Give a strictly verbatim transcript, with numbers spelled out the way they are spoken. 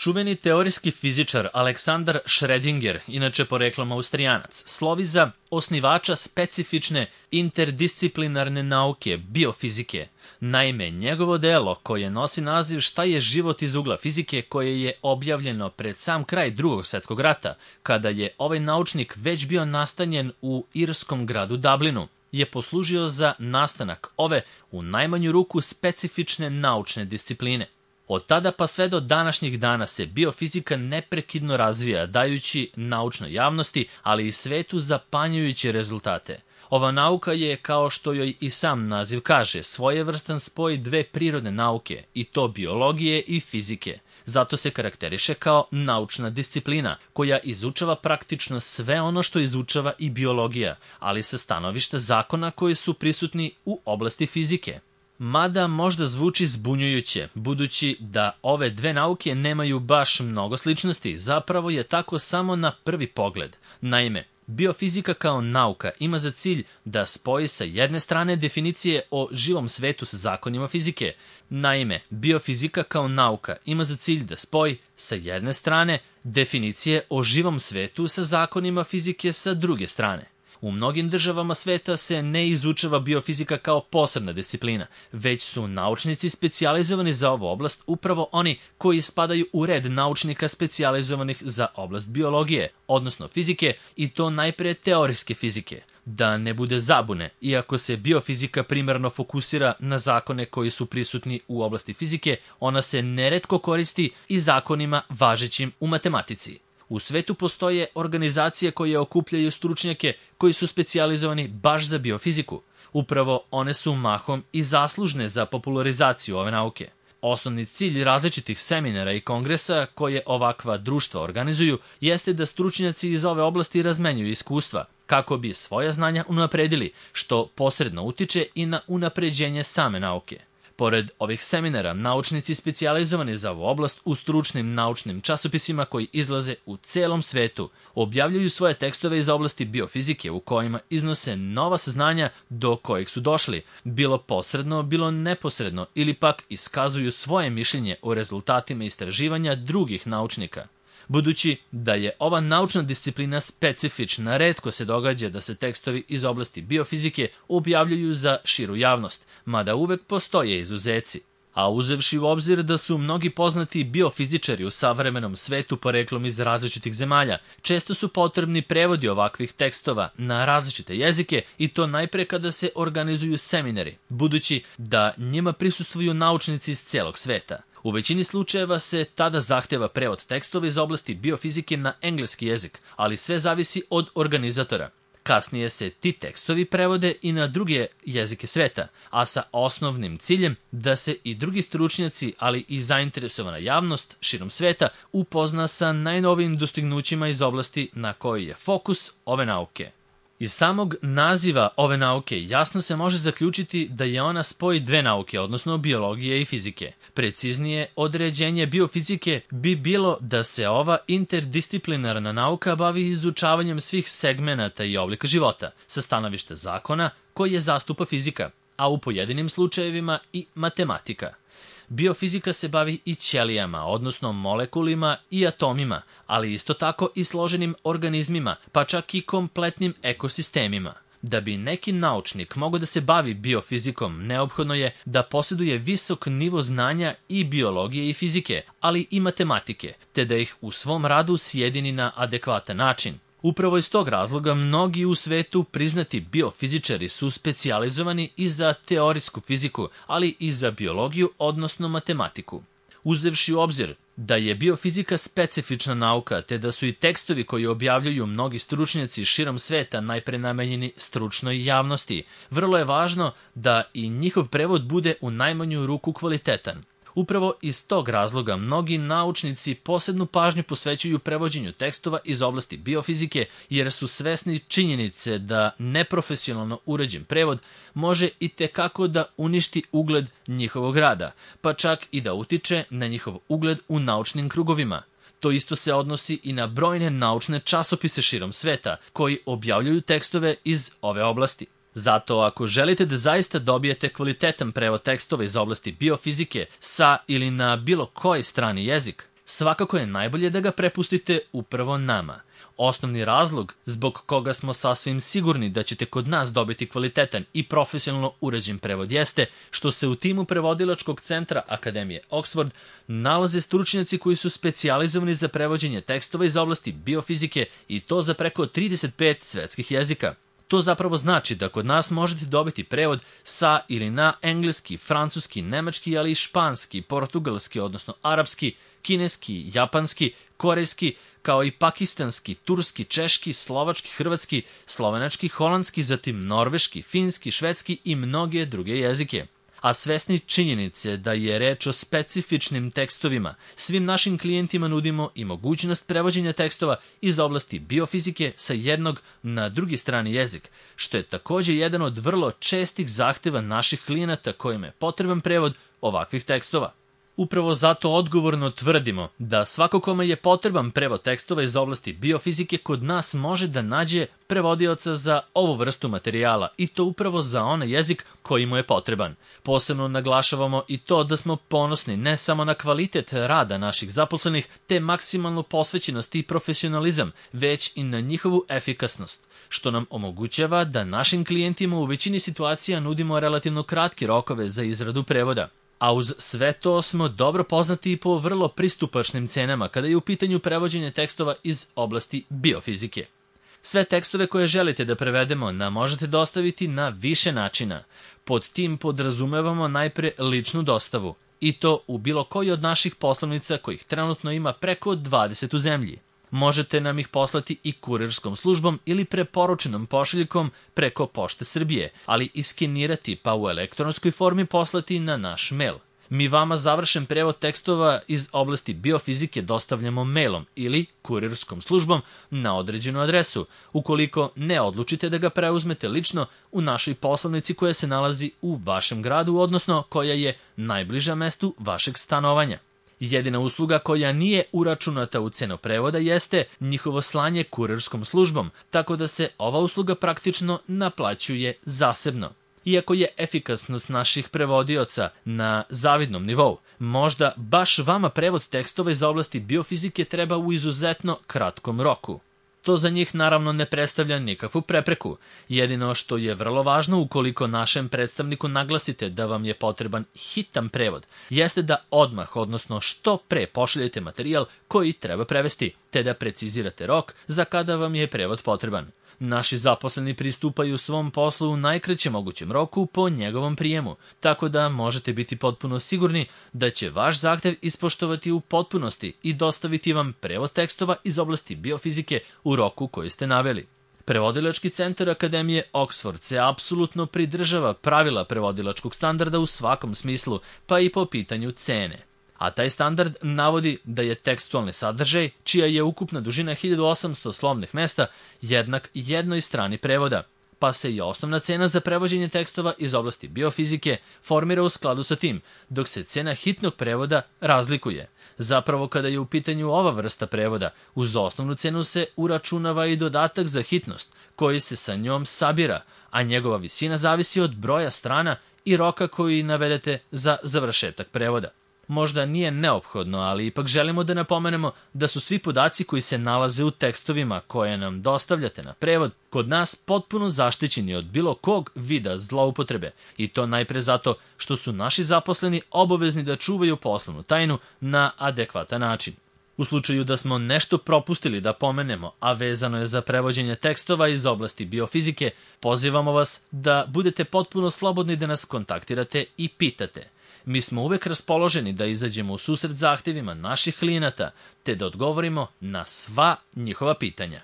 Čuveni teorijski fizičar Aleksandar Schrödinger, inače poreklom Austrijanac, slovi za osnivača specifične interdisciplinarne nauke, biofizike. Naime, njegovo delo, koje nosi naziv Šta je život iz ugla fizike, koje je objavljeno pred sam kraj Drugog svjetskog rata, kada je ovaj naučnik već bio nastanjen u irskom gradu Dublinu, je poslužio za nastanak ove, u najmanju ruku, specifične naučne discipline. Od tada pa sve do današnjih dana se biofizika neprekidno razvija, dajući naučnoj javnosti, ali i svetu zapanjujuće rezultate. Ova nauka je, kao što joj i sam naziv kaže, svojevrstan spoj dve prirodne nauke, i to biologije i fizike. Zato se karakteriše kao naučna disciplina, koja izučava praktično sve ono što izučava i biologija, ali sa stanovišta zakona koji su prisutni u oblasti fizike. Mada možda zvuči zbunjujuće, budući da ove dve nauke nemaju baš mnogo sličnosti, zapravo je tako samo na prvi pogled. Naime, biofizika kao nauka ima za cilj da spoji sa jedne strane definicije o živom svetu sa zakonima fizike. Naime, biofizika kao nauka ima za cilj da spoji sa jedne strane definicije o živom svetu sa zakonima fizike sa druge strane. U mnogim državama sveta se ne izučava biofizika kao posebna disciplina, već su naučnici specijalizovani za ovu oblast upravo oni koji spadaju u red naučnika specijalizovanih za oblast biologije, odnosno fizike, i to najpre teorijske fizike. Da ne bude zabune, iako se biofizika primarno fokusira na zakone koji su prisutni u oblasti fizike, ona se neretko koristi i zakonima važećim u matematici. U svetu postoje organizacije koje okupljaju stručnjake koji su specijalizovani baš za biofiziku. Upravo one su mahom i zaslužne za popularizaciju ove nauke. Osnovni cilj različitih seminara i kongresa koje ovakva društva organizuju jeste da stručnjaci iz ove oblasti razmenjuju iskustva, kako bi svoja znanja unapredili, što posredno utiče i na unapređenje same nauke. Pored ovih seminara, naučnici specijalizovani za ovu oblast u stručnim naučnim časopisima koji izlaze u celom svetu objavljuju svoje tekstove iz oblasti biofizike u kojima iznose nova saznanja do kojih su došli, bilo posredno, bilo neposredno, ili pak iskazuju svoje mišljenje o rezultatima istraživanja drugih naučnika. Budući da je ova naučna disciplina specifična, retko se događa da se tekstovi iz oblasti biofizike objavljuju za širu javnost, mada uvek postoje izuzeci. A uzevši u obzir da su mnogi poznati biofizičari u savremenom svetu poreklom iz različitih zemalja, često su potrebni prevodi ovakvih tekstova na različite jezike, i to najpre kada se organizuju seminari, budući da njima prisustvuju naučnici iz celog sveta. U većini slučajeva se tada zahteva prevod tekstova iz oblasti biofizike na engleski jezik, ali sve zavisi od organizatora. Kasnije se ti tekstovi prevode i na druge jezike sveta, a sa osnovnim ciljem da se i drugi stručnjaci, ali i zainteresovana javnost širom sveta upozna sa najnovijim dostignućima iz oblasti na kojoj je fokus ove nauke. Iz samog naziva ove nauke jasno se može zaključiti da je ona spoj dve nauke, odnosno biologije i fizike. Preciznije određenje biofizike bi bilo da se ova interdisciplinarna nauka bavi izučavanjem svih segmenata i oblika života, sa stanovišta zakona koje zastupa fizika, a u pojedinim slučajevima i matematika. Biofizika se bavi i ćelijama, odnosno molekulima i atomima, ali isto tako i složenim organizmima, pa čak i kompletnim ekosistemima. Da bi neki naučnik mogao da se bavi biofizikom, neophodno je da posjeduje visok nivo znanja i biologije i fizike, ali i matematike, te da ih u svom radu sjedini na adekvatan način. Upravo iz tog razloga mnogi u svetu priznati biofizičari su specijalizovani i za teorijsku fiziku, ali i za biologiju, odnosno matematiku. Uzevši u obzir da je biofizika specifična nauka, te da su i tekstovi koji objavljuju mnogi stručnjaci širom sveta najpre namenjeni stručnoj javnosti, vrlo je važno da i njihov prevod bude u najmanju ruku kvalitetan. Upravo iz tog razloga mnogi naučnici posebnu pažnju posvećuju prevođenju tekstova iz oblasti biofizike, jer su svesni činjenice da neprofesionalno urađen prevod može i tekako da uništi ugled njihovog rada, pa čak i da utiče na njihov ugled u naučnim krugovima. To isto se odnosi i na brojne naučne časopise širom sveta koji objavljuju tekstove iz ove oblasti. Zato ako želite da zaista dobijete kvalitetan prevod tekstova iz oblasti biofizike sa ili na bilo koji strani jezik, svakako je najbolje da ga prepustite upravo nama. Osnovni razlog zbog koga smo sasvim sigurni da ćete kod nas dobiti kvalitetan i profesionalno urađen prevod jeste što se u timu prevodilačkog centra Akademije Oxford nalaze stručnjaci koji su specijalizovani za prevođenje tekstova iz oblasti biofizike i to za preko trideset pet svetskih jezika. To zapravo znači da kod nas možete dobiti prevod sa ili na engleski, francuski, nemački, ali i španski, portugalski, odnosno arapski, kineski, japanski, korejski, kao i pakistanski, turski, češki, slovački, hrvatski, slovenački, holandski, zatim norveški, finski, švedski i mnoge druge jezike. A svesni činjenice da je reč o specifičnim tekstovima, svim našim klijentima nudimo i mogućnost prevođenja tekstova iz oblasti biofizike sa jednog na drugi strani jezik, što je također jedan od vrlo čestih zahteva naših klijenata kojima je potreban prevod ovakvih tekstova. Upravo zato odgovorno tvrdimo da svako kome je potreban prevod tekstova iz oblasti biofizike kod nas može da nađe prevodioca za ovu vrstu materijala i to upravo za onaj jezik koji mu je potreban. Posebno naglašavamo i to da smo ponosni ne samo na kvalitet rada naših zaposlenih te maksimalnu posvećenost i profesionalizam, već i na njihovu efikasnost, što nam omogućava da našim klijentima u većini situacija nudimo relativno kratke rokove za izradu prevoda. A uz sve to smo dobro poznati i po vrlo pristupačnim cenama kada je u pitanju prevođenje tekstova iz oblasti biofizike. Sve tekstove koje želite da prevedemo nam možete dostaviti na više načina. Pod tim podrazumevamo najpre ličnu dostavu, i to u bilo koji od naših poslovnica kojih trenutno ima preko dvadeset u zemlji. Možete nam ih poslati i kurirskom službom ili preporučenom pošiljkom preko Pošte Srbije, ali i skenirati pa u elektronskoj formi poslati na naš mail. Mi vama završen prevod tekstova iz oblasti biofizike dostavljamo mailom ili kurirskom službom na određenu adresu, ukoliko ne odlučite da ga preuzmete lično u našoj poslovnici koja se nalazi u vašem gradu, odnosno koja je najbliža mestu vašeg stanovanja. Jedina usluga koja nije uračunata u cenu prevoda jeste njihovo slanje kurirskom službom, tako da se ova usluga praktično naplaćuje zasebno. Iako je efikasnost naših prevodioca na zavidnom nivou, možda baš vama prevod tekstova iz oblasti biofizike treba u izuzetno kratkom roku. To za njih naravno ne predstavlja nikakvu prepreku. Jedino što je vrlo važno ukoliko našem predstavniku naglasite da vam je potreban hitan prevod, jeste da odmah, odnosno što pre pošaljete materijal koji treba prevesti, te da precizirate rok za kada vam je prevod potreban. Naši zaposleni pristupaju svom poslu u najkraćem mogućem roku po njegovom prijemu, tako da možete biti potpuno sigurni da će vaš zahtev ispoštovati u potpunosti i dostaviti vam prevod tekstova iz oblasti biofizike u roku koji ste naveli. Prevodilački centar Akademije Oxford se apsolutno pridržava pravila prevodilačkog standarda u svakom smislu, pa i po pitanju cene. A taj standard navodi da je tekstualni sadržaj, čija je ukupna dužina hiljadu osamsto slovnih mesta, jednak jednoj strani prevoda, pa se i osnovna cena za prevođenje tekstova iz oblasti biofizike formira u skladu sa tim, dok se cena hitnog prevoda razlikuje. Zapravo, kada je u pitanju ova vrsta prevoda, uz osnovnu cenu se uračunava i dodatak za hitnost, koji se sa njom sabira, a njegova visina zavisi od broja strana i roka koji navedete za završetak prevoda. Možda nije neophodno, ali ipak želimo da napomenemo da su svi podaci koji se nalaze u tekstovima koje nam dostavljate na prevod kod nas potpuno zaštićeni od bilo kog vida zloupotrebe, i to najpre zato što su naši zaposleni obavezni da čuvaju poslovnu tajnu na adekvatan način. U slučaju da smo nešto propustili da pomenemo, a vezano je za prevođenje tekstova iz oblasti biofizike, pozivamo vas da budete potpuno slobodni da nas kontaktirate i pitate. Mi smo uvek raspoloženi da izađemo u susret zahtevima naših klijenata, te da odgovorimo na sva njihova pitanja.